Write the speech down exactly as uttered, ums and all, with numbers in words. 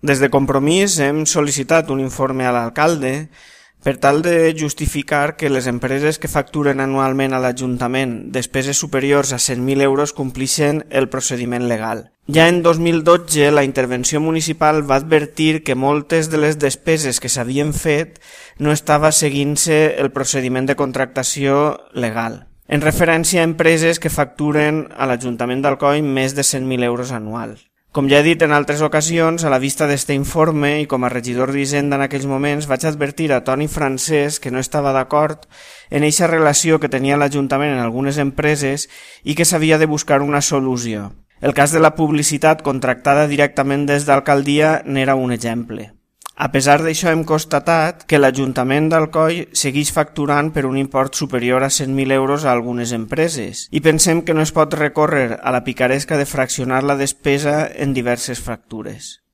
Des de Compromís hem sol·licitat un informe a l'alcalde per tal de justificar que les empreses que facturen anualment a l'Ajuntament despeses superiors a cent mil euros complixen el procediment legal. Ja en dos mil dotze la intervenció municipal va advertir que moltes de les despeses que s'havien fet no estava seguint-se el procediment de contractació legal, en referència a empreses que facturen a l'Ajuntament d'Alcoi més de cent mil euros anuals. Com ja he dit en altres ocasions, a la vista d'aquest informe i com a regidor d'Hisenda en aquells moments vaig advertir a Toni Francesc que no estava d'acord en eixa relació que tenia l'Ajuntament en algunes empreses i que s'havia de buscar una solució. El cas de la publicitat contractada directament des d'alcaldia n'era un exemple. A pesar d'això hem constatat que l'Ajuntament d'Alcoi segueix facturant per un import superior a cent mil euros a algunes empreses i pensem que no es pot recórrer a la picaresca de fraccionar la despesa en diverses factures.